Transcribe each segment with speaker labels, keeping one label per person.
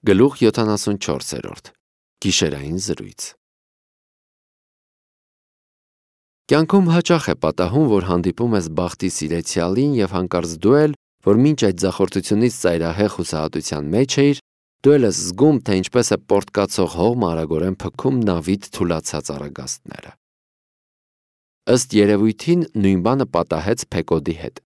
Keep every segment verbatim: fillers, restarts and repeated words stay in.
Speaker 1: Գլուխ յոթանասունչորս Գիշերային զրույց։ Կյանքում հաճախ է պատահում, որ հանդիպում ես բախտի սիրեցյալին և հանկարծ դու էլ, որ մինչ այդ ձախորդությունից ծայրահեղ հուսահատության մեջ էիր, դու էլ ես զգում, թե ինչպես է պորտկացող հողմը արագորեն փքում նավիդ թուլացած առագաստները։ Ըստ երևույթին նույն բանը պատահեց Փեկոդի հետ։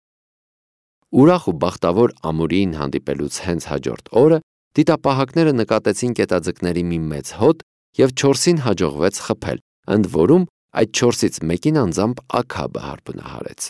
Speaker 1: Ուրախ ու բախտավոր ամուրիին հանդիպելուց հենց հաջորդ օրը դիտապահակները նկատեցին կետաձկների մի մեծ հոտ և չորսին հաջողվեց խփել, ընդ որում այդ չորսից մեկին անձամբ Աքաբը հարբնահարեց։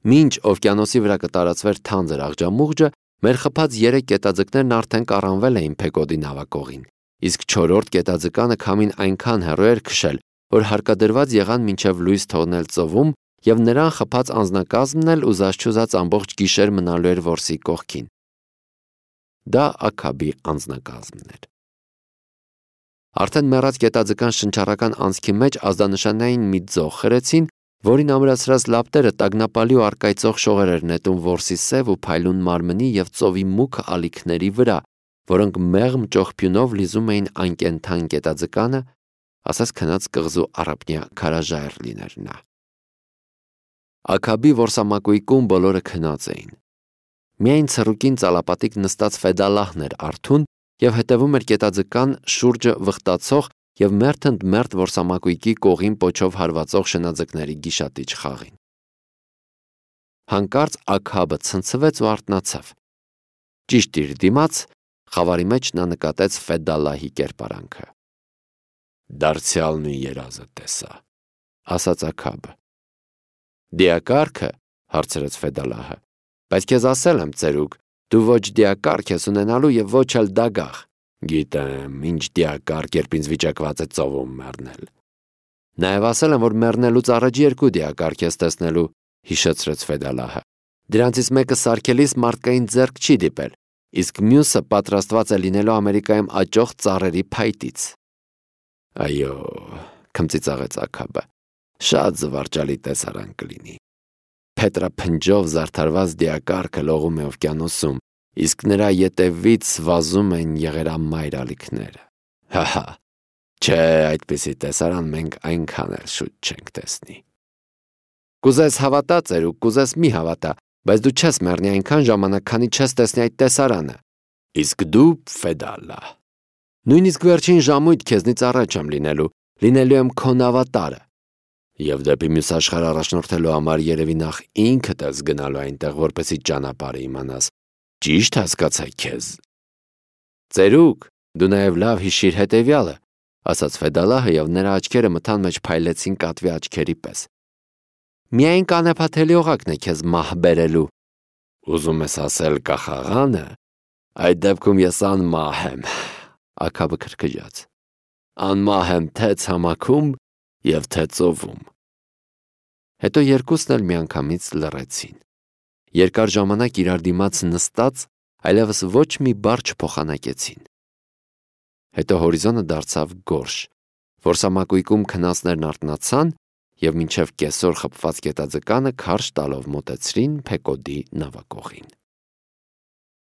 Speaker 1: Մինչ օվկիանոսի վրա կտարածվեր թանձր աղջամուղջը, մեր խփած երեք կետաձկներն արդեն կառանվել էին Փեկոդի նավակողին, իսկ չորրորդ կետաձկանը քամին այնքան հեռու էր քշել, որ հարկադրված եղան մինչև լույս թողնել ծովում, և նրան խփած անձնակազմն էլ ուզած-չուզած ամբողջ գիշեր մնալու էր որսի կողքին։ Դա Աքաբի անձնակազմն էր։ Արդեն մեռած կետաձկան շնչառական անցքի մեջ ազդանշանային մի ձող խրեցին, որին ամրացրած լապտերը տագնապալի ու առկայծող շողեր էր նետում որսի սև ու փայլուն մարմնի և ծովի մուգ ալիքների վրա, որոնք մեղմ ճողփյունով լիզում էին անկենդան կետաձկանը, ասես քնած կղզու առափնյա քարաժայռ լիներ նա։ Աքաբի որսամակույկում բոլորը քնած էին։ Միայն ցռուկին ծալապատիկ նստած Ֆեդալահն էր արթուն և հետևում էր կետաձկան շուրջը վխտացող և մերթ ընդ մերթ որսամակույկի կողին պոչով հարվածող շնաձկների գիշատիչ խաղին։ Հանկարծ Աքաբը ցնցվեց ու արթնացավ։ Ճիշտ իր դիմաց խավարի մեջ նա նկատեց Ֆեդալահի կերպարանքը։ «Դարձյալ նույն երազը տեսա», ասաց Աքաբը։ «Դիակարգը», հարցրեց Ֆեդալահը, «բայց քեզ ասել եմ, ծերուկ, դու ոչ դիակարգ ես ունենալու և ոչ էլ դագաղ»։ «Գիտեմ, ինչ դիակարգ, երբ ինձ վիճակված է ծովում մեռնել»։ «Նաև ասել եմ, որ մեռնելուց առաջ երկու դիակարգ ես տեսնելու», հիշեցրեց Ֆեդալահը։ «Դրանցից մեկը սարքելիս մարդկային ձեռք չի դիպել, իսկ մյուսը պատրաստված է լինելու Ամերիկայում աճող ծառերի փայտից»։ «Այո», քմծիծաղեց Աքաբը, «շատ զվարճալի տեսարան կլինի։ Փետրափնջով զարդարված դիակարգը լողում է օվկիանոսում, իսկ նրա ետևից վազում են եղերամայր ալիքները։ Հա՛֊հա՛, չէ, այդպիսի տեսարան մենք այնքան էլ շուտ չենք տեսնի։ Կուզես հավատա, ծերուկ, կուզես մի հավատա, բայց դու չես մեռնի այնքան ժամանակ, քանի չես տեսնի այդ տեսարանը։ Իսկ դու, Ֆեդալահ, նույնիսկ վերջին ժամույթ քեզնից առաջ եմ լինելու, լինելու եմ քո նավատարը։ Եվ դեպի մյուս աշխարհ առաջնորդելու համար երևի նախ ինքդ ես գնալու այնտեղ, որպեսզի ճանապարհը իմանաս։ Ճիշտ հասկացա քեզ։ Ծերուկ, դու նաև լավ հիշիր հետևյալը, ասաց Ֆեդալահը, և նրա աչքերը մթան մեջ փայլեցին կատվի աչքերի պես։ Միայն կանեփաթելի օղակն է քեզ մահ բերելու։ Ուզում ես ասել կախաղանը։ Այդ դեպքում ես անմահ եմ, Աքաբը քրքջաց։ Անմահ եմ թե ցամաքում և թե ծովում։ Հետո երկուսն էլ միանգամից լռեցին։ Երկար ժամանակ իրար դիմաց նստած, այլևս ոչ մի բառ չփոխանակեցին։ Հետո հորիզոնը դարձավ գորշ, որսամակույկում քնածներն արթնացան և մինչև կեսօր խփված կետաձկանը քարշ տալով մոտեցրին Փեկոդի նավակողին։